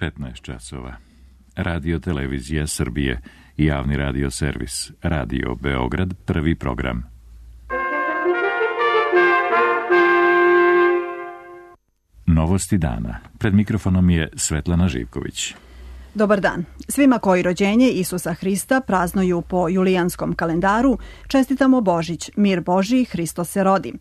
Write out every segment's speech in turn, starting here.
15 časova. Radio Televizija Srbije i javni radio servis. Radio Beograd, prvi program. Novosti dana. Pred mikrofonom je Svetlana Živković. Dobar dan. Svima koji rođenje Isusa Hrista praznuju po julijanskom kalendaru, čestitamo Božić, mir Božji, Hristos se rodi.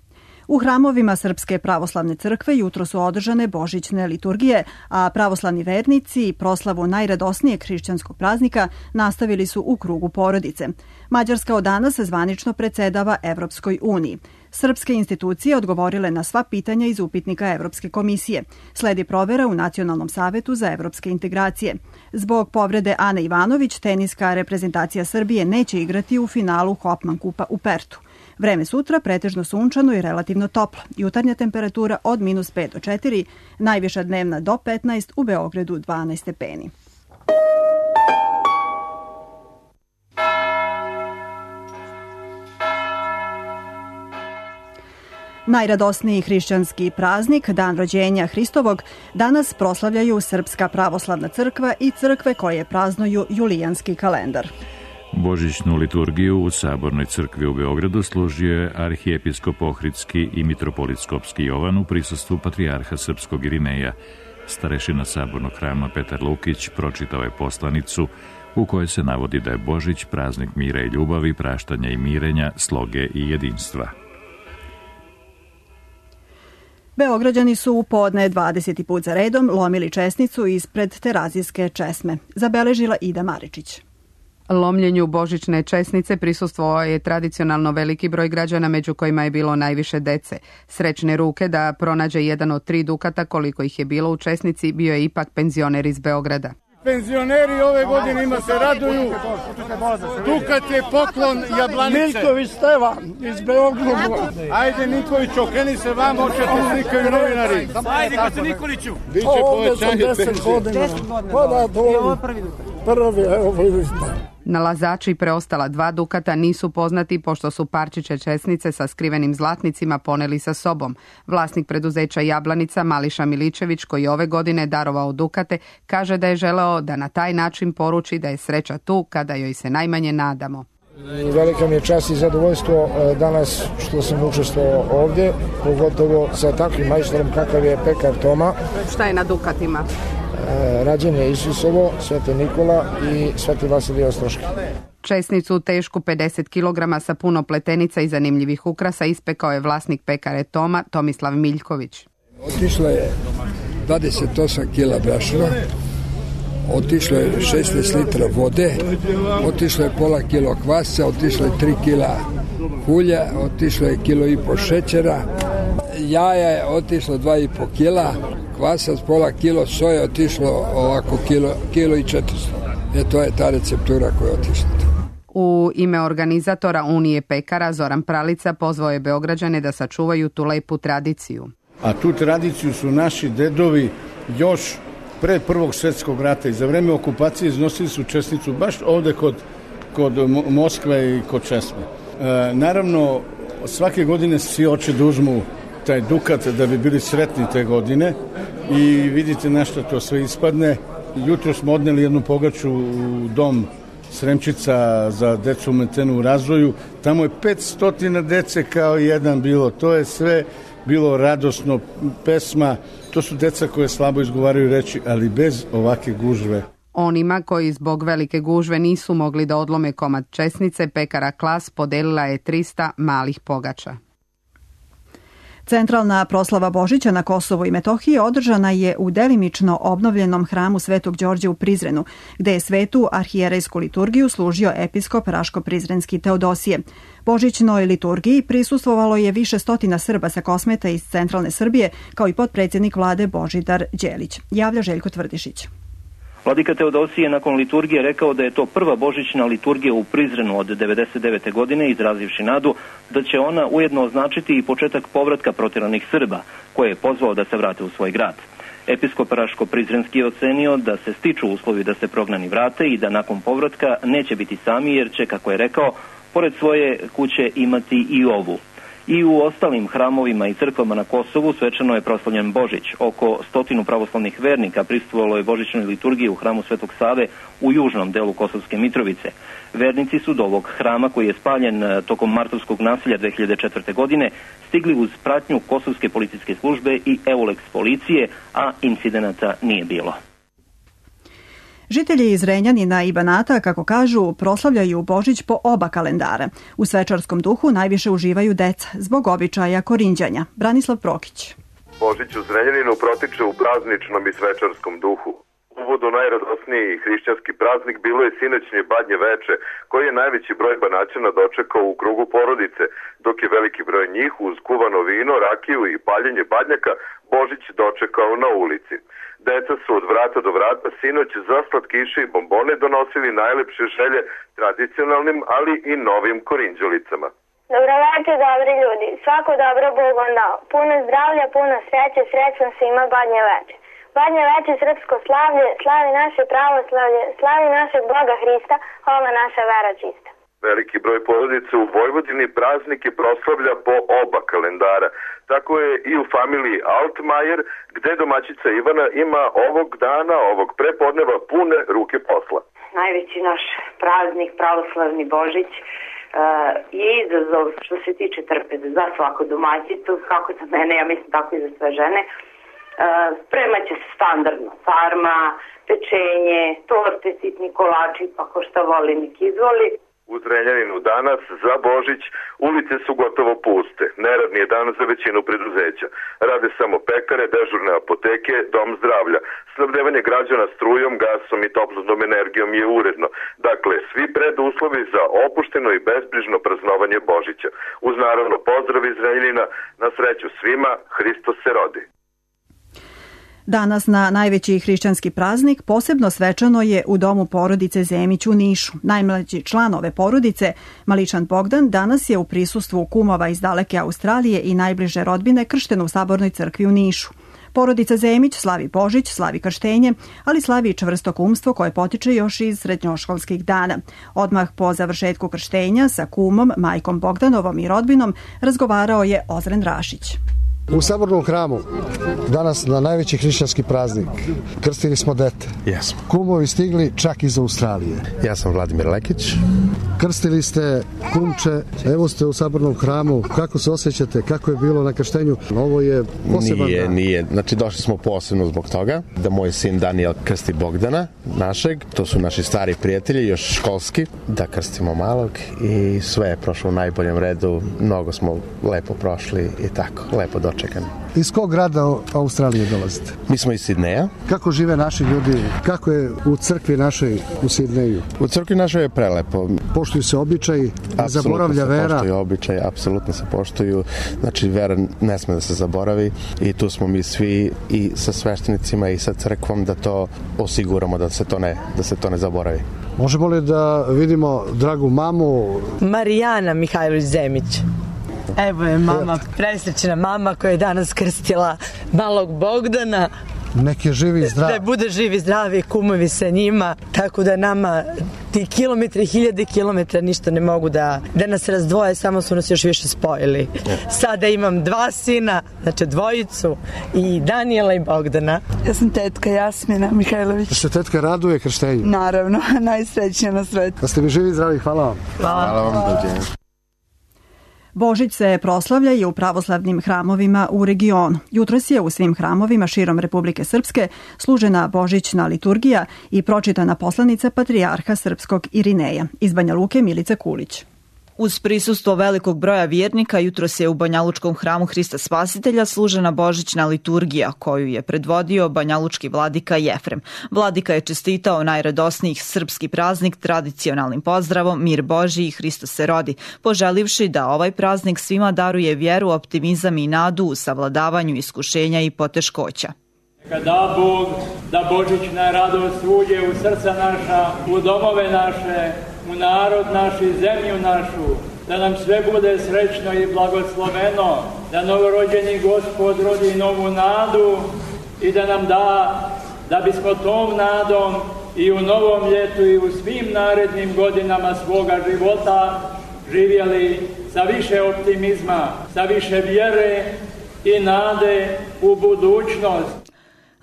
U hramovima Srpske pravoslavne crkve jutro su održane božićne liturgije, a pravoslavni vernici proslavu najradosnijeg hrišćanskog praznika nastavili su u krugu porodice. Mađarska od danas zvanično predsedava Evropskoj uniji. Srpske institucije odgovorile na sva pitanja iz upitnika Evropske komisije. Sledi provera u Nacionalnom savetu za evropske integracije. Zbog povrede Ane Ivanović, teniska reprezentacija Srbije neće igrati u finalu Hopman kupa u Pertu. Vreme sutra pretežno sunčano i relativno toplo. Jutarnja temperatura od -5 do 4, najviša dnevna do 15, u Beogradu 12 stepeni. Najradosniji hrišćanski praznik, dan rođenja Hristovog, danas proslavljaju Srpska pravoslavna crkva i crkve koje praznuju julijanski kalendar. Božićnu liturgiju u Sabornoj crkvi u Beogradu služio je arhijepiskop Ohridski i mitropolitskopski Jovan u prisustvu patrijarha srpskog Irineja. Starešina Sabornog hrama Petar Lukić pročitao je poslanicu u kojoj se navodi da je Božić praznik mira i ljubavi, praštanja i mirenja, sloge i jedinstva. Beograđani su u podne 20. put za redom lomili česnicu ispred Terazijske česme. Zabeležila Ida Maričić. Lomljenju božićne česnice prisustvovao je tradicionalno veliki broj građana, među kojima je bilo najviše dece. Srećne ruke da pronađe jedan od 3 dukata koliko ih je bilo u česnici bio je ipak penzioner iz Beograda. Penzioneri ove godine ima se raduju. Dukat je poklon Jablanice. Miljković Stevan iz Beograda. Ajde Nikolić, okreni se vam, očete slikaju novinari. Ajde Koce Nikoliću. Biće povećanje penzije. 10 godina. Pa da, to prvi, evo vidite. Nalazači preostala 2 dukata nisu poznati pošto su parčiće česnice sa skrivenim zlatnicima poneli sa sobom. Vlasnik preduzeća Jablanica Mališa Miličević, koji ove godine darovao dukate, kaže da je želeo da na taj način poruči da je sreća tu kada joj se najmanje nadamo. Velika mi je čast i zadovoljstvo danas što sam učestvovao ovdje, pogotovo sa takvim majstorom kakav je pekar Toma. Šta je na dukatima? Rađenje Isusovo, Sveti Nikola i Sveti Vasilij Ostroški. Česnicu tešku 50 kg sa puno pletenica i zanimljivih ukrasa ispekao je vlasnik pekare Toma, Tomislav Miljković. Otišlo je 28 kila brašna, otišlo je 16 litra vode, otišlo je pola kilo kvasca, otišlo je 3 kila ulja, otišlo je 1,5 kg šećera, jaja je otišlo 2,5 kila, kvasac pola kilo, soja otišlo ovako kilo i 400. To je ta receptura koja je otišla. U ime organizatora Unije pekara Zoran Pralica pozvao je Beograđane da sačuvaju tu lepu tradiciju. A tu tradiciju su naši dedovi još pre Prvog svjetskog rata i za vreme okupacije iznosili su česnicu baš ovde kod Moskve i kod Česme. Naravno, svake godine svi hoće da uzmu taj dukat da bi bili sretni te godine i vidite na što to sve ispadne. Jutro smo odneli jednu pogaču u dom Sremčica za decu ometenu u razvoju. Tamo je 500 dece kao jedan bilo. To je sve bilo radosno, pesma. To su deca koje slabo izgovaraju reči, ali bez ovake gužve. Onima koji zbog velike gužve nisu mogli da odlome komad česnice, pekara Klas podelila je 300 malih pogača. Centralna proslava Božića na Kosovu i Metohiji održana je u delimično obnovljenom hramu Svetog Đorđa u Prizrenu, gde je svetu arhijerejsku liturgiju služio episkop Raško-Prizrenski Teodosije. Božićnoj liturgiji prisustvovalo je više stotina Srba sa Kosmeta iz centralne Srbije, kao i potpredsjednik vlade Božidar Đelić. Javlja Željko Tvrdišić. Vladika Teodosije nakon liturgije rekao da je to prva božićna liturgija u Prizrenu od 1999. godine, izrazivši nadu da će ona ujedno označiti i početak povratka protjeranih Srba, koje je pozvao da se vrate u svoj grad. Episkop Raško-Prizrenski je ocenio da se stiču uslovi da se prognani vrate i da nakon povratka neće biti sami jer će, kako je rekao, pored svoje kuće imati i ovu. I u ostalim hramovima i crkvama na Kosovu svečano je proslavljen Božić. Oko 100 pravoslavnih vernika prisustvovalo je božićnoj liturgiji u hramu Svetog Save u južnom delu Kosovske Mitrovice. Vernici su do ovog hrama, koji je spaljen tokom martovskog nasilja 2004. godine, stigli uz pratnju Kosovske policijske službe i EULEX policije, a incidenata nije bilo. Žitelji iz Renjanina i Banata, kako kažu, proslavljaju Božić po oba kalendara. U svečarskom duhu najviše uživaju deca, zbog običaja korinđanja. Branislav Prokić. Božić u Zrenjaninu protiče u prazničnom i svečarskom duhu. Uvod u najradosniji hrišćanski praznik bilo je sinoćnje badnje veče, koji je najveći broj Banaćana dočekao u krugu porodice, dok je veliki broj njih uz kuvano vino, rakiju i paljenje badnjaka Božić dočekao na ulici. Deca su od vrata do vrata sinoć za slatkiše i bombone donosili najlepše želje tradicionalnim, ali i novim korinđolicama. Dobroveče, dobri ljudi. Svako dobro Bog vam dao. Puno zdravlja, puno sreće, srećno svima badnje veče. Badnje veče srpsko slavlje, slavi naše pravoslavlje, slavi našeg Boga Hrista, hvala naša vera čista. Veliki broj porodice u Vojvodini praznike proslavlja po oba kalendara. Tako je i u familiji Altmajer, gde domaćica Ivana ima ovog dana, ovog prepodneva pune ruke posla. Najveći naš praznik, pravoslavni Božić, je izazov što se tiče trpeze za svaku domaćicu, kako za mene, ja mislim tako i za sve žene. Spremaće se standardno sarma, pečenje, torte, sitni kolači, pa ko šta voli nek izvoli. U Zrenjaninu danas za Božić ulice su gotovo puste. Neradni je dan za većinu preduzeća. Rade samo pekare, dežurne apoteke, dom zdravlja. Snabdevanje građana strujom, gasom i toplotnom energijom je uredno. Dakle, svi preduslovi za opušteno i bezbrižno praznovanje Božića. Uz naravno pozdrav iz Zrenjanina, na sreću svima, Hristos se rodi. Danas na najveći hrišćanski praznik posebno svečano je u domu porodice Zemić u Nišu. Najmlađi član ove porodice, Maličan Bogdan, danas je u prisustvu kumova iz daleke Australije i najbliže rodbine kršten u Sabornoj crkvi u Nišu. Porodica Zemić slavi Božić, slavi krštenje, ali slavi i čvrsto kumstvo koje potiče još iz srednjoškolskih dana. Odmah po završetku krštenja sa kumom, majkom Bogdanovom i rodbinom razgovarao je Ozren Rašić. U Sabornom hramu, danas na najveći hrišćanski praznik, krstili smo dete. Jesmo. Kumovi stigli čak iz Australije. Ja sam Vladimir Lekić. Krstili ste kumče, evo ste u Sabornom hramu. Kako se osjećate? Kako je bilo na krštenju? Ovo je poseban dan. Nije. Znači, došli smo posebno zbog toga da moj sin Daniel krsti Bogdana, našeg. To su naši stari prijatelji, još školski. Da krstimo malog i sve je prošlo u najboljem redu. Mnogo smo lepo prošli i tako, lepo dočekani. Iz kog grada Australije dolazite? Mi smo iz Sidneja. Kako žive naši ljudi? Kako je u crkvi našoj u Sidneju? U crkvi našoj je prelepo. Poštuju se običaji, zaboravlja vera. Apsolutno se poštuju običaji, apsolutno se poštuju. Znači, vera ne sme da se zaboravi i tu smo mi svi i sa sveštenicima i sa crkvom da to osiguramo, da se to ne zaboravi. Možemo li da vidimo dragu mamu? Marijana Mihajlović Zemić. Evo je mama, presrećna mama koja je danas krstila malog Bogdana. Nek je živi i zdrav. Da bude živi i zdravi, kumovi sa njima, tako da nama ti kilometri, 1000 kilometra ništa ne mogu da nas razdvoje, samo su nas još više spojili. Sada imam 2 sina, znači 2, i Danijela i Bogdana. Ja sam tetka Jasmina Mihajlović. Da se tetka raduje krštenju? Naravno, najsrećnija na svetu. Da ste mi živi i zdravi, hvala vam. Hvala vam. Božić se proslavlja i u pravoslavnim hramovima u regionu. Jutros je u svim hramovima širom Republike Srpske služena božićna liturgija i pročitana poslanica patrijarha srpskog Irineja. Iz Banja Luke Milica Kulić. Uz prisustvo velikog broja vjernika, jutros je u Banjalučkom hramu Hrista Spasitelja služena božićna liturgija, koju je predvodio banjalučki vladika Jefrem. Vladika je čestitao najradosniji srpski praznik tradicionalnim pozdravom Mir Božji i Hristos se rodi, poželivši da ovaj praznik svima daruje vjeru, optimizam i nadu u savladavanju iskušenja i poteškoća. Da Bog, da božićna radost uđe u srca naša, u domove naše, u narod naš i zemlju našu, da nam sve bude srećno i blagosloveno, da novorođeni Gospod rodi novu nadu i da nam da, da bismo tom nadom i u novom ljetu i u svim narednim godinama svoga života živjeli sa više optimizma, sa više vjere i nade u budućnost.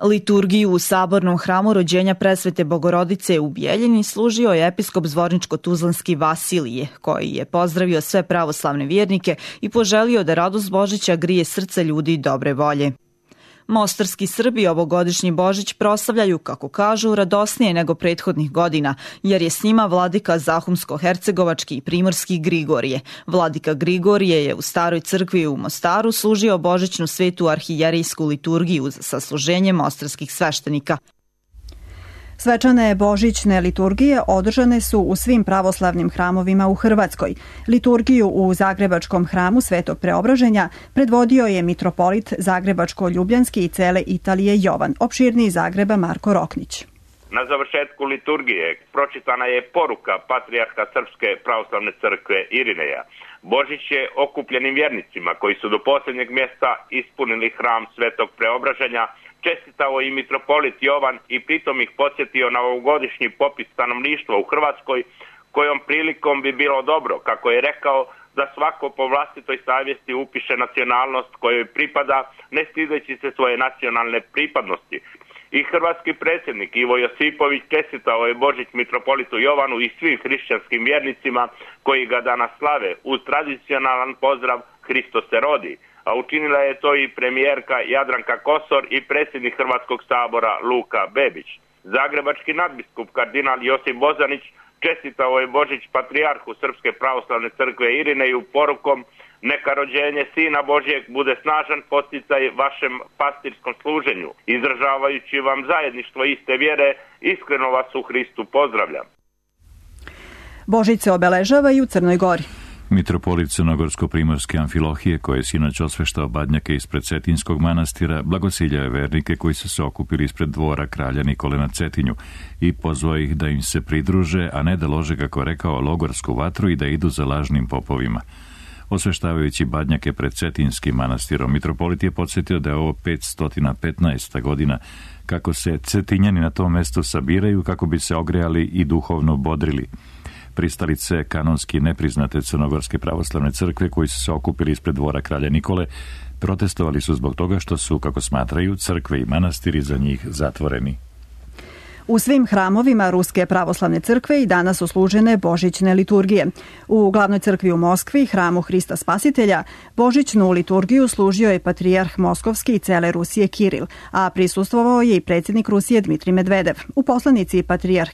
Liturgiju u Sabornom hramu rođenja Presvete Bogorodice u Bijeljini služio je episkop Zvorničko-Tuzlanski Vasilije, koji je pozdravio sve pravoslavne vjernike i poželio da radost Božića grije srce ljudi dobre volje. Mostarski Srbi ovogodišnji Božić proslavljaju, kako kažu, radosnije nego prethodnih godina, jer je s njima vladika Zahumsko-hercegovački i primorski Grigorije. Vladika Grigorije je u staroj crkvi u Mostaru služio božićnu svetu arhijerijsku liturgiju za sasluženje mostarskih sveštenika. Svečane božićne liturgije održane su u svim pravoslavnim hramovima u Hrvatskoj. Liturgiju u Zagrebačkom hramu Svetog Preobraženja predvodio je mitropolit Zagrebačko-Ljubljanski i cele Italije Jovan, opširniji Zagreba Marko Roknić. Na završetku liturgije pročitana je poruka patrijarha Srpske pravoslavne crkve Irineja. Božić je okupljenim vjernicima koji su do posljednjeg mjesta ispunili hram Svetog Preobraženja čestitao i mitropolit Jovan i pritom ih podsjetio na ovogodišnji popis stanovništva u Hrvatskoj, kojom prilikom bi bilo dobro, kako je rekao, da svako po vlastitoj savjesti upiše nacionalnost kojoj pripada, ne stideći se svoje nacionalne pripadnosti. I hrvatski predsjednik Ivo Josipović čestitao je Božić mitropolitu Jovanu i svim hrišćanskim vjernicima koji ga danas slave uz tradicionalan pozdrav Hristos se rodi, a učinila je to i premijerka Jadranka Kosor i predsjednik Hrvatskog sabora Luka Bebić. Zagrebački nadbiskup kardinal Josip Bozanić čestitao je Božić patrijarhu Srpske pravoslavne crkve Irineju porukom: neka rođenje Sina Božjeg bude snažan podsticaj vašem pastirskom služenju. Izražavajući vam zajedništvo iste vjere, iskreno vas u Hristu pozdravljam. Božić se obeležava i u Crnoj Gori. Mitropolit Crnogorsko-primorske Amfilohije, koji je sinoć osveštao badnjake ispred Cetinskog manastira, blagosiljao je vernike koji su se okupili ispred dvora kralja Nikole na Cetinju i pozvao ih da im se pridruže, a ne da lože, kako rekao, logorsku vatru i da idu za lažnim popovima. Osveštavajući badnjake pred Cetinskim manastirom, mitropolit je podsjetio da je ovo 515. godina kako se Cetinjani na tom mjestu sabiraju kako bi se ogrejali i duhovno bodrili. Pristalice kanonski nepriznate Crnogorske pravoslavne crkve koji su se okupili ispred dvora kralja Nikole protestovali su zbog toga što su, kako smatraju, crkve i manastiri za njih zatvoreni. U svim hramovima Ruske pravoslavne crkve i danas su služene božićne liturgije. U glavnoj crkvi u Moskvi, hramu Hrista Spasitelja, božićnu liturgiju služio je patrijarh Moskovski i cele Rusije Kiril, a prisustvovao je i predsjednik Rusije Dmitrij Medvedev. U poslanici patrijarh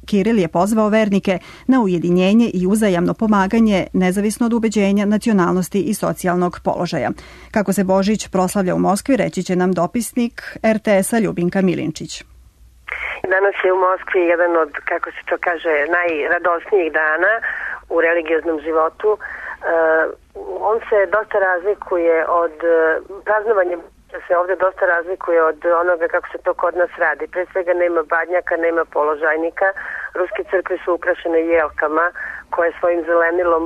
Kiril je pozvao vernike na ujedinjenje i uzajamno pomaganje nezavisno od ubeđenja, nacionalnosti i socijalnog položaja. Kako se Božić proslavlja u Moskvi, reći će nam dopisnik RTS-a Ljubinka Milinčić. Danas je u Moskvi jedan od, kako se to kaže, najradosnijih dana u religioznom životu. On se dosta razlikuje od praznovanja, se ovdje dosta razlikuje od onoga kako se to kod nas radi. Pre svega nema badnjaka, nema položajnika. Ruske crkve su ukrašene jelkama koje svojim zelenilom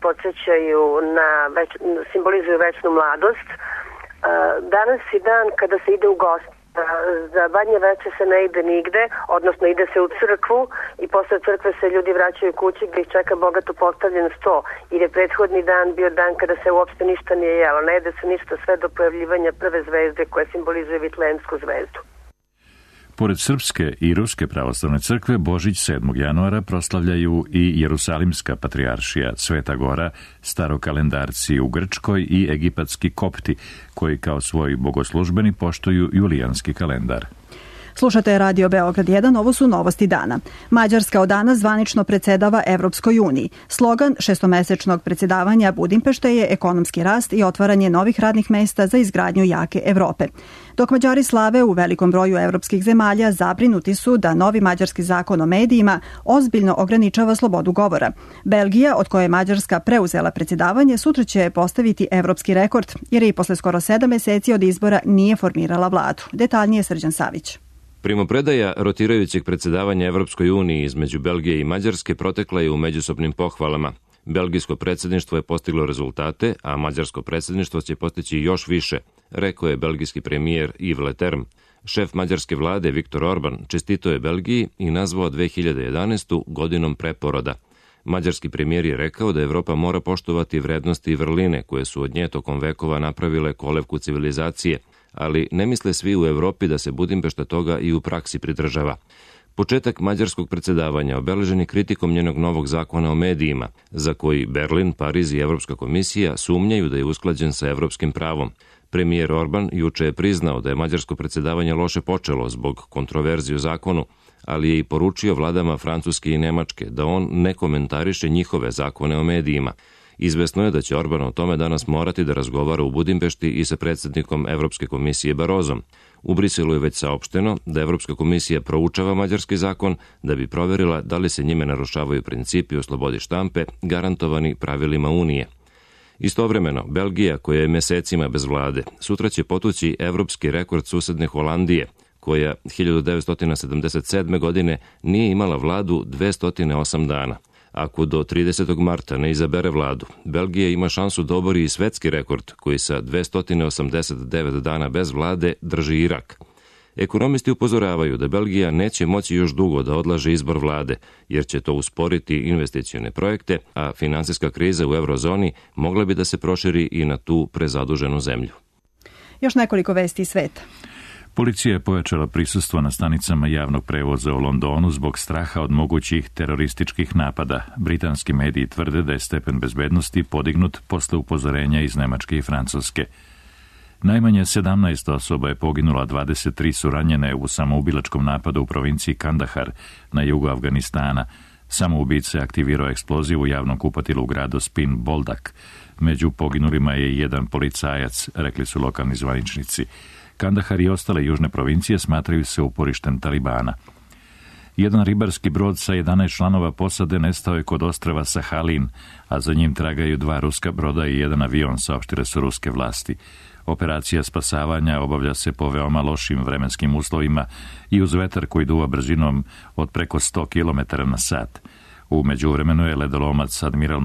podsjećaju simbolizuju večnu mladost. Danas je dan kada se ide u gost. Za badnje veče se ne ide nigde, odnosno ide se u crkvu i posle crkve se ljudi vraćaju kući gdje ih čeka bogato postavljen sto, jer je prethodni dan bio dan kada se uopšte ništa nije jelo, ne jede se ništa sve do pojavljivanja prve zvezde koja simbolizuje Vitlejemsku zvezdu. Pored Srpske i Ruske pravoslavne crkve, Božić 7. januara proslavljaju i Jerusalimska patrijaršija, Sveta Gora, starokalendarci u Grčkoj i egipatski kopti, koji kao svoj bogoslužbeni poštuju julijanski kalendar. Slušate Radio Beograd 1, ovo su novosti dana. Mađarska od danas zvanično predsjedava Evropskoj uniji. Slogan šestomesečnog predsjedavanja Budimpešte je ekonomski rast i otvaranje novih radnih mesta za izgradnju jake Evrope. Dok Mađari slave u velikom broju evropskih zemalja, zabrinuti su da novi mađarski zakon o medijima ozbiljno ograničava slobodu govora. Belgija, od koje je Mađarska preuzela predsjedavanje, sutra će postaviti evropski rekord, jer je i posle skoro 7 mjeseci od izbora nije formirala vladu. Detaljnije Srđan Savić. Primopredaja rotirajućeg predsjedavanja Evropskoj uniji između Belgije i Mađarske protekla je u međusobnim pohvalama. Belgijsko predsjedništvo je postiglo rezultate, a mađarsko predsjedništvo će postići još više, rekao je belgijski premijer Yves Leterme. Šef mađarske vlade Viktor Orban čestitao je Belgiji i nazvao 2011. godinom preporoda. Mađarski premijer je rekao da Evropa mora poštovati vrednosti i vrline koje su od nje tokom vekova napravile kolevku civilizacije, ali ne misle svi u Evropi da se Budimpešta toga i u praksi pridržava. Početak mađarskog predsjedavanja obeležen je kritikom njenog novog zakona o medijima, za koji Berlin, Pariz i Evropska komisija sumnjaju da je usklađen sa evropskim pravom. Premijer Orban juče je priznao da je mađarsko predsjedavanje loše počelo zbog kontroverzije u zakonu, ali je i poručio vladama Francuske i Nemačke da on ne komentariše njihove zakone o medijima. Izvesno je da će Orban o tome danas morati da razgovara u Budimpešti i sa predsjednikom Evropske komisije Barozom. U Briselu je već saopšteno da Evropska komisija proučava mađarski zakon da bi proverila da li se njime narušavaju principi o slobodi štampe garantovani pravilima Unije. Istovremeno, Belgija, koja je mesecima bez vlade, sutra će potući evropski rekord susedne Holandije, koja 1977. godine nije imala vladu 208 dana. Ako do 30. marta ne izabere vladu, Belgija ima šansu da obori i svetski rekord koji sa 289 dana bez vlade drži Irak. Ekonomisti upozoravaju da Belgija neće moći još dugo da odlaže izbor vlade, jer će to usporiti investicione projekte, a finansijska kriza u eurozoni mogla bi da se proširi i na tu prezaduženu zemlju. Još nekoliko vesti iz sveta. Policija je pojačala prisustvo na stanicama javnog prevoza u Londonu zbog straha od mogućih terorističkih napada. Britanski mediji tvrde da je stepen bezbednosti podignut posle upozorenja iz Nemačke i Francuske. Najmanje 17 osoba je poginula, 23 su ranjene u samoubilačkom napadu u provinciji Kandahar na jugu Afganistana. Samoubica je aktivirao eksploziv u javnom kupatilu u gradu Spin Boldak. Među poginulima je jedan policajac, rekli su lokalni zvaničnici. Kandahar i ostale južne provincije smatraju se uporištem Talibana. Jedan ribarski brod sa 11 članova posade nestao je kod ostrva Sahalin, a za njim tragaju 2 ruska broda i jedan avion, saopštile su ruske vlasti. Operacija spasavanja obavlja se po veoma lošim vremenskim uslovima i uz vetar koji duva brzinom od preko 100 km na sat. U međuvremenu je ledolomac Admiral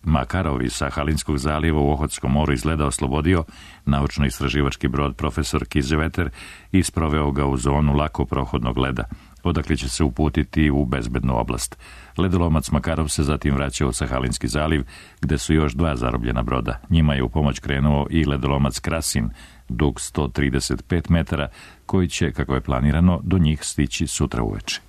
Makarov iz Sahalinskog zalijeva u Ohotskom moru izgleda oslobodio naučno-istraživački brod Profesor Kizeveter i sproveo ga u zonu lako prohodnog leda, odakle će se uputiti u bezbednu oblast. Ledolomac Makarov se zatim vraća u Sahalinski zaliv, gde su još 2 zarobljena broda. Njima je u pomoć krenuo i ledolomac Krasin, dug 135 metara, koji će, kako je planirano, do njih stići sutra uveče.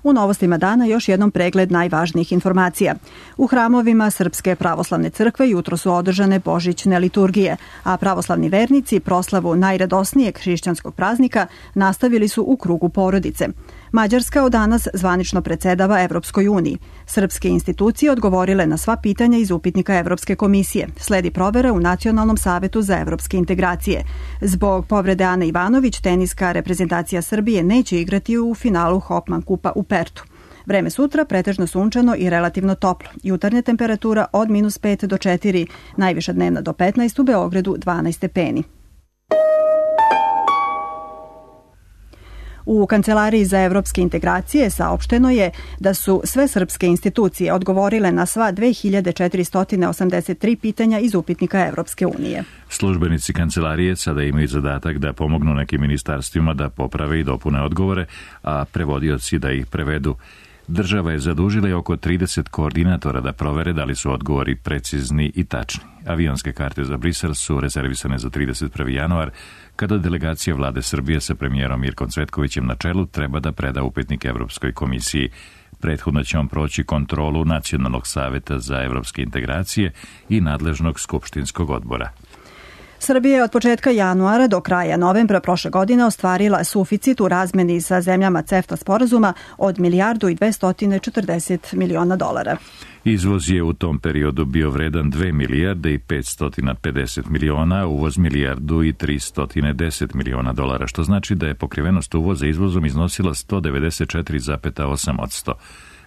U novostima dana još jednom pregled najvažnijih informacija. U hramovima Srpske pravoslavne crkve jutro su održane božićne liturgije, a pravoslavni vernici proslavu najradosnijeg hrišćanskog praznika nastavili su u krugu porodice. Mađarska od danas zvanično predsedava Evropskoj uniji. Srpske institucije odgovorile na sva pitanja iz upitnika Evropske komisije. Sledi provera u Nacionalnom savetu za evropske integracije. Zbog povrede Ane Ivanović, teniska reprezentacija Srbije neće igrati u finalu Hopman kupa u Pertu. Vreme sutra pretežno sunčano i relativno toplo. Jutarnja temperatura od -5 do 4, najviša dnevna do 15, u Beogradu 12 stepeni. U Kancelariji za evropske integracije saopšteno je da su sve srpske institucije odgovorile na sva 2483 pitanja iz upitnika Evropske unije. Službenici kancelarije sada imaju zadatak da pomognu nekim ministarstvima da poprave i dopune odgovore, a prevodioci da ih prevedu. Država je zadužila oko 30 koordinatora da provere da li su odgovori precizni i tačni. Avionske karte za Brisel su rezervisane za 31. januar, kada delegacija vlade Srbije sa premijerom Mirkom Cvetkovićem na čelu treba da preda upitnik Evropskoj komisiji. Prethodno će on proći kontrolu Nacionalnog saveta za evropske integracije i nadležnog skupštinskog odbora. Srbija je od početka januara do kraja novembra prošle godine ostvarila suficit u razmeni sa zemljama CEFTA sporazuma od $1.240 miliona. Izvoz je u tom periodu bio vredan 2 milijarde i 550 miliona, a uvoz milijardu i 310 miliona dolara, što znači da je pokrivenost uvoza izvozom iznosila 194,8%.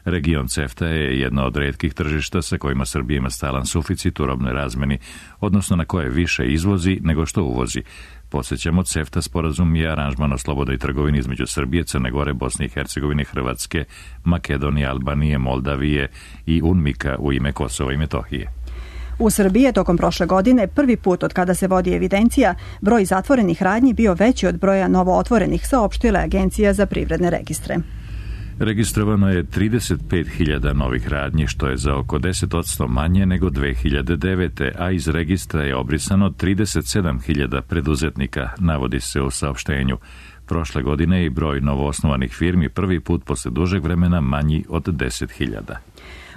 Region CEFTA je jedno od retkih tržišta sa kojima Srbija ima stalan suficit u robnoj razmeni, odnosno na koje više izvozi nego što uvozi. Podsjećamo, CEFTA sporazum je aranžman o slobodnoj trgovini između Srbije, Crne Gore, Bosne i Hercegovine, Hrvatske, Makedonije, Albanije, Moldavije i UNMIK-a u ime Kosova i Metohije. U Srbiji je tokom prošle godine prvi put od kada se vodi evidencija broj zatvorenih radnji bio veći od broja novootvorenih, saopštila Agencija za privredne registre. Registrovano je 35.000 novih radnji, što je za oko 10% manje nego 2009. a iz registra je obrisano 37.000 preduzetnika, navodi se u saopštenju. Prošle godine i broj novoosnovanih firmi prvi put posle dužeg vremena manji od 10.000.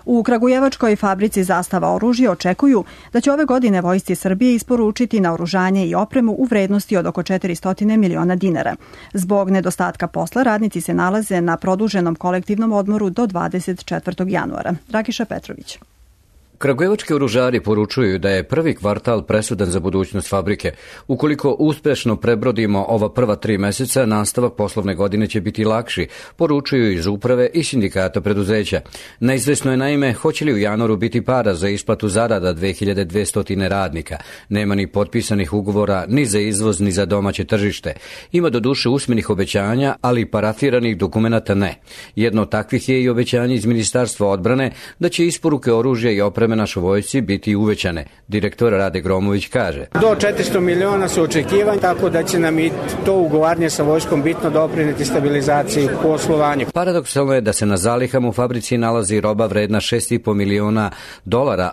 U Kragujevačkoj fabrici Zastava oružja očekuju da će ove godine Vojsci Srbije isporučiti naoružanje i opremu u vrednosti od oko 400 miliona dinara. Zbog nedostatka posla radnici se nalaze na produženom kolektivnom odmoru do 24. januara. Rakiša Petrović. Kragujevački oružari poručuju da je prvi kvartal presudan za budućnost fabrike. Ukoliko uspešno prebrodimo ova prva 3 meseca, nastavak poslovne godine će biti lakši, poručuju iz uprave i sindikata preduzeća. Neizvesno je naime hoće li u januaru biti para za isplatu zarada 2200 radnika. Nema ni potpisanih ugovora ni za izvoz ni za domaće tržište. Ima doduše usmenih obećanja, ali parafiranih dokumenata ne. Jedno od takvih je i obećanje iz Ministarstva odbrane da će isporuke oružja i opreme našoj vojsci biti uvećane. Direktor Rade Gromović kaže: Do 400 miliona su očekivanja, tako da će nam i to ugovaranje sa vojskom bitno doprineti stabilizaciji poslovanja. Paradoksalno je da se na zalihama u fabrici nalazi roba vredna $6,5 miliona,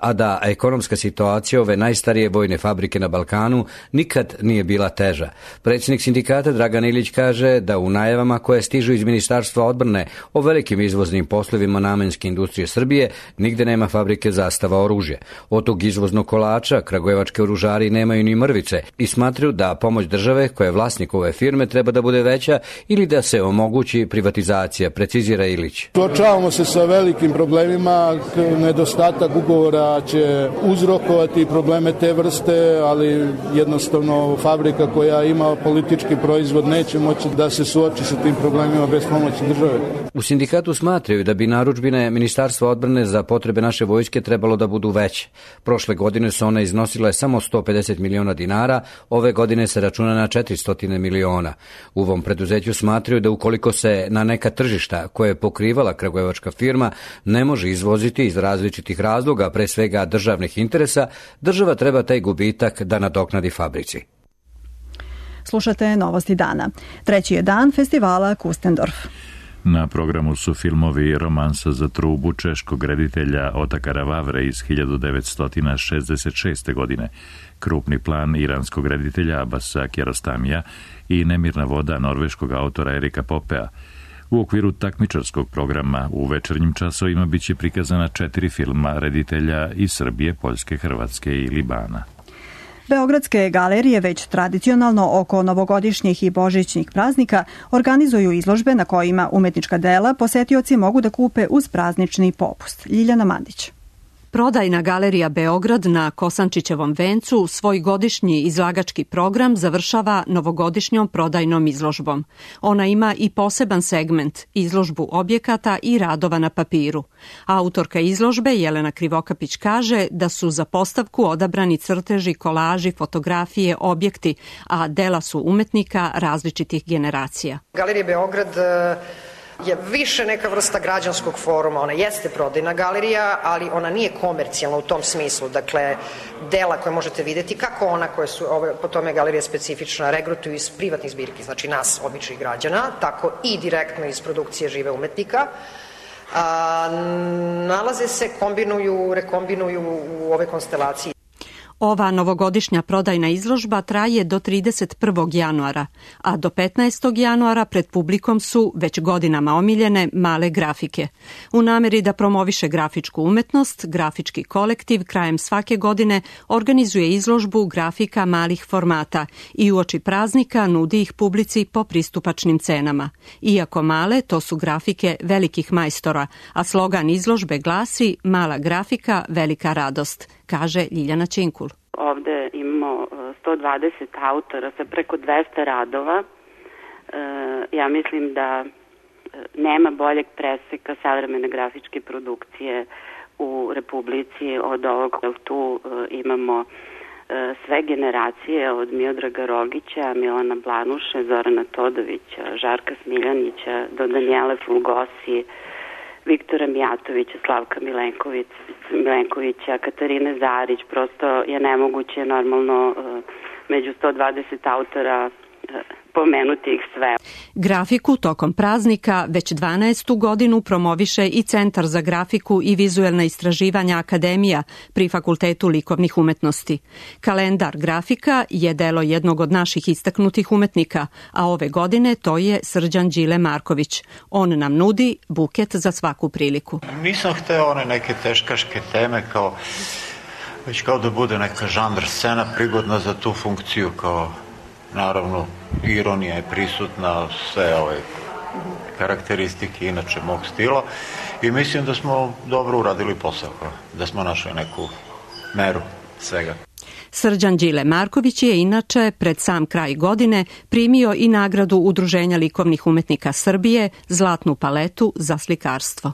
a da ekonomska situacija ove najstarije vojne fabrike na Balkanu nikad nije bila teža. Predsjednik sindikata Dragan Ilić kaže da u najavama koje stižu iz Ministarstva odbrane o velikim izvoznim poslovima namenske industrije Srbije nigde nema fabrike Zastava oružje. Od tog izvoznog kolača kragujevački oružari nemaju ni mrvice i smatraju da pomoć države koja je vlasnik ove firme treba da bude veća ili da se omogući privatizacija, precizira Ilić. Suočavamo se sa velikim problemima, nedostatak ugovora će uzrokovati probleme te vrste, ali jednostavno fabrika koja ima politički proizvod neće moći da se suoči sa tim problemima bez pomoći države. U sindikatu smatraju da bi narudžbine Ministarstva odbrane za potrebe naše vojske trebalo da budu veće. Prošle godine su one iznosile samo 150 miliona dinara, ove godine se računa na 400 miliona. U ovom preduzeću smatraju da ukoliko se na neka tržišta koje je pokrivala kragujevačka firma ne može izvoziti iz različitih razloga, pre svega državnih interesa, država treba taj gubitak da nadoknadi fabrici. Slušate Novosti dana. Treći je dan festivala Kustendorf. Na programu su filmovi Romansa za trubu češkog reditelja Otakara Vavre iz 1966. godine, Krupni plan iranskog reditelja Abasa Kiarostamija i Nemirna voda norveškog autora Erika Popea. U okviru takmičarskog programa u večernjim časovima biće prikazana 4 filma reditelja iz Srbije, Poljske, Hrvatske i Libana. Beogradske galerije već tradicionalno oko novogodišnjih i božićnih praznika organizuju izložbe na kojima umetnička dela posetioci mogu da kupe uz praznični popust. Ljiljana Mandić. Prodajna galerija Beograd na Kosančićevom vencu svoj godišnji izlagački program završava novogodišnjom prodajnom izložbom. Ona ima i poseban segment, izložbu objekata i radova na papiru. Autorka izložbe Jelena Krivokapić kaže da su za postavku odabrani crteži, kolaži, fotografije, objekti, a dela su umetnika različitih generacija. Galerija Beograd je više neka vrsta građanskog foruma. Ona jeste prodajna galerija, ali ona nije komercijalna u tom smislu. Dakle, dela koje možete vidjeti, kako ona koje su, po tome galerija specifična, regrutuju iz privatnih zbirki, znači nas, običnih građana, tako i direktno iz produkcije žive umetnika. Nalaze se, rekombinuju u ove konstelacije. Ova novogodišnja prodajna izložba traje do 31. januara, a do 15. januara pred publikom su već godinama omiljene male grafike. U nameri da promoviše grafičku umetnost, grafički kolektiv krajem svake godine organizuje izložbu grafika malih formata i uoči praznika nudi ih publici po pristupačnim cenama. Iako male, to su grafike velikih majstora, a slogan izložbe glasi "Mala grafika, velika radost", kaže Ljiljana Činkul. Ovde imamo 120 autora sa preko 200 radova. Ja mislim da nema boljeg preseka savremene grafičke produkcije u Republici od ovog. Tu imamo sve generacije od Miodraga Rogića, Milana Blanuše, Zorana Todovića, Žarka Smiljanića do Danijele Fulgosi, Viktora Mijatovića, Slavka Milenkovića, Katarine Zarić, prosto je nemoguće normalno među 120 autora pomenuti ih sve. Grafiku tokom praznika već 12. godinu promoviše i Centar za grafiku i vizuelna istraživanja Akademija pri Fakultetu likovnih umetnosti. Kalendar grafika je delo jednog od naših istaknutih umetnika, a ove godine to je Srđan Đile Marković. On nam nudi buket za svaku priliku. Nisam hteo one neke teškaške teme već kao da bude neka žanr scena prigodna za tu funkciju, kao naravno, ironija je prisutna, sve ove karakteristike inače mog stila i mislim da smo dobro uradili posao, da smo našli neku meru svega. Srđan Đile Marković je inače pred sam kraj godine primio i nagradu Udruženja likovnih umetnika Srbije Zlatnu paletu za slikarstvo.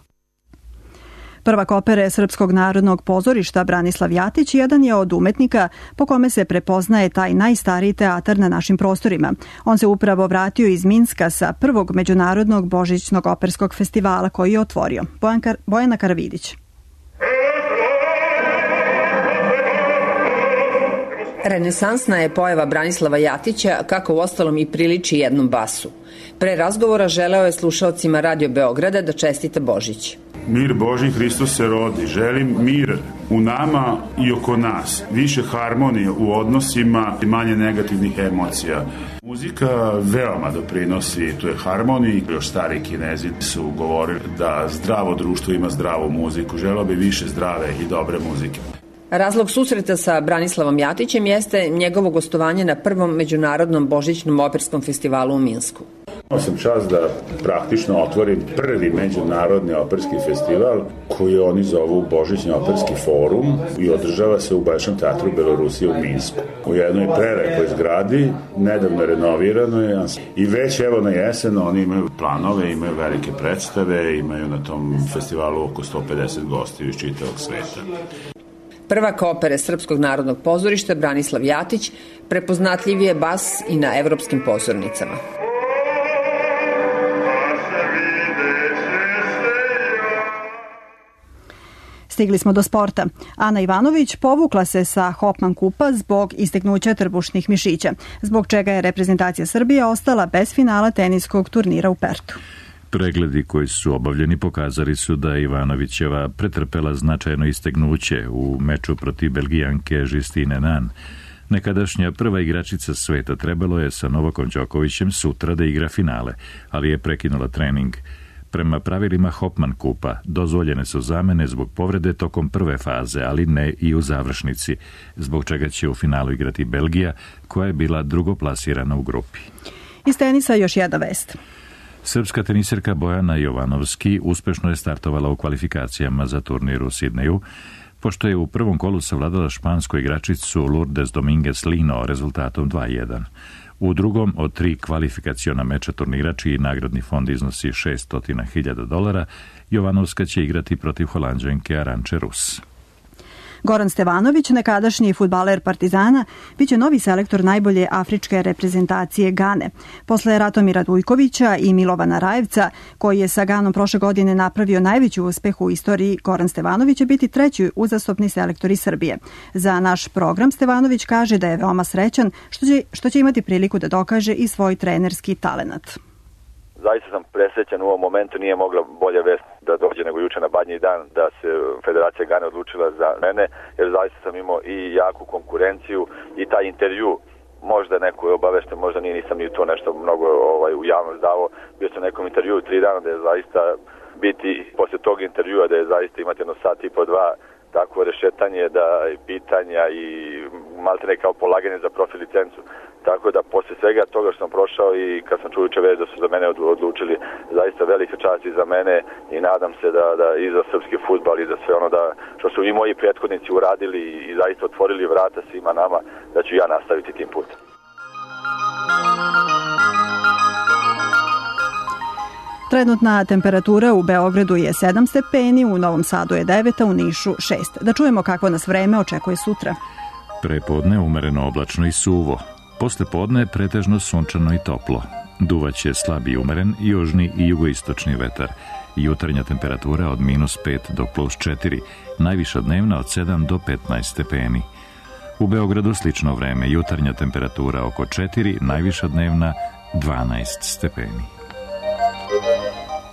Prvak opere Srpskog narodnog pozorišta Branislav Jatić jedan je od umetnika po kome se prepoznaje taj najstariji teatar na našim prostorima. On se upravo vratio iz Minska sa prvog međunarodnog božićnog operskog festivala koji je otvorio. Bojana Karavidić. Renesansna je pojava Branislava Jatića, kako u ostalom i priliči jednom basu. Pre razgovora želeo je slušaocima Radio Beograda da čestita Božić. Mir Božji, Hristos se rodi. Želim mir u nama i oko nas. Više harmonije u odnosima i manje negativnih emocija. Muzika veoma doprinosi toj harmoniji. Još stari Kinezi su govorili da zdravo društvo ima zdravu muziku. Želeo bi više zdrave i dobre muzike. Razlog susreta sa Branislavom Jatićem jeste njegovo gostovanje na prvom međunarodnom božićnom operskom festivalu u Minsku. Imao sam čast da praktično otvorim prvi međunarodni operski festival koji oni zovu Božićni operski forum i održava se u Baješnom teatru Belorusije u Minsku. U jednoj prelepoj zgradi, nedavno renoviranoj i već evo na jesen oni imaju planove, imaju velike predstave, imaju na tom festivalu oko 150 gostiju iz čitavog sveta. Prvak opere Srpskog narodnog pozorišta Branislav Jatić prepoznatljiv je bas i na evropskim pozornicama. Stigli smo do sporta. Ana Ivanović povukla se sa Hopman kupa zbog isteknuća trbušnih mišića, zbog čega je reprezentacija Srbije ostala bez finala teniskog turnira u Pertu. Pregledi koji su obavljeni pokazali su da Ivanovićeva pretrpela značajno istegnuće u meču protiv Belgijanke Justine Nan. Nekadašnja prva igračica sveta trebalo je sa Novakom Đokovićem sutra da igra finale, ali je prekinula trening. Prema pravilima Hopman kupa dozvoljene su zamene zbog povrede tokom prve faze, ali ne i u završnici, zbog čega će u finalu igrati Belgija, koja je bila drugoplasirana u grupi. Iz tenisa još jedna vest. Srpska teniserka Bojana Jovanovski uspešno je startovala u kvalifikacijama za turnir u Sidneju, pošto je u prvom kolu savladala špansku igračicu Lourdes Dominguez Lino rezultatom 2:1. U drugom od 3 kvalifikaciona meča turnira, čiji nagradni fond iznosi $600.000, Jovanovska će igrati protiv Holanđanke Arantxe Rus. Goran Stevanović, nekadašnji fudbaler Partizana, biće novi selektor najbolje afričke reprezentacije Gane. Posle Ratomira Dujkovića i Milovana Rajevca, koji je sa Ganom prošle godine napravio najveći uspeh u istoriji, Goran Stevanović će biti treći uzastopni selektor iz Srbije. Za naš program Stevanović kaže da je veoma srećan što će imati priliku da dokaže i svoj trenerski talenat. Zaista sam presrećan u ovom momentu, nije mogla bolja vest da dođe nego juče na Badnji dan da se Federacija Gane odlučila za mene, jer zaista sam imao i jaku konkurenciju i taj intervju, možda neko je obavešten, možda nisam ni to nešto mnogo u javnost davao, bio sam nekom intervju 3 dana da je zaista biti posle tog intervjua da je zaista imati jedno sat i po 2 tako rešetanje da pitanja i maltene kao polaganje za profi licencu. Tako da posle svega toga što sam prošao i kad sam čuo juče već da su za mene odlučili, zaista velika čast i za mene i nadam se da i za srpski fudbal i za sve ono da što su i moji prethodnici uradili i zaista otvorili vrata svima nama, da ću ja nastaviti tim putem. Trenutna temperatura u Beogradu je 7 stepeni, u Novom Sadu je 9, a u Nišu 6. Da čujemo kako nas vreme očekuje sutra. Prepodne umereno oblačno i suvo. Posle podne pretežno sunčano i toplo. Duvaće slab i umeren južni i jugoistočni vetar. Jutarnja temperatura od -5 do +4, najviša dnevna od 7 do 15 stepeni. U Beogradu slično vreme, jutarnja temperatura oko 4, najviša dnevna 12 stepeni.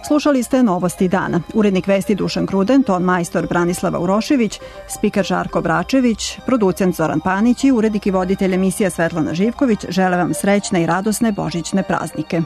Slušali ste novosti dana. Urednik vesti Dušan Gruden, ton majstor Branislava Urošević, spiker Žarko Bračević, producent Zoran Panić i urednik i voditelj emisija Svetlana Živković žele vam srećne i radosne božićne praznike.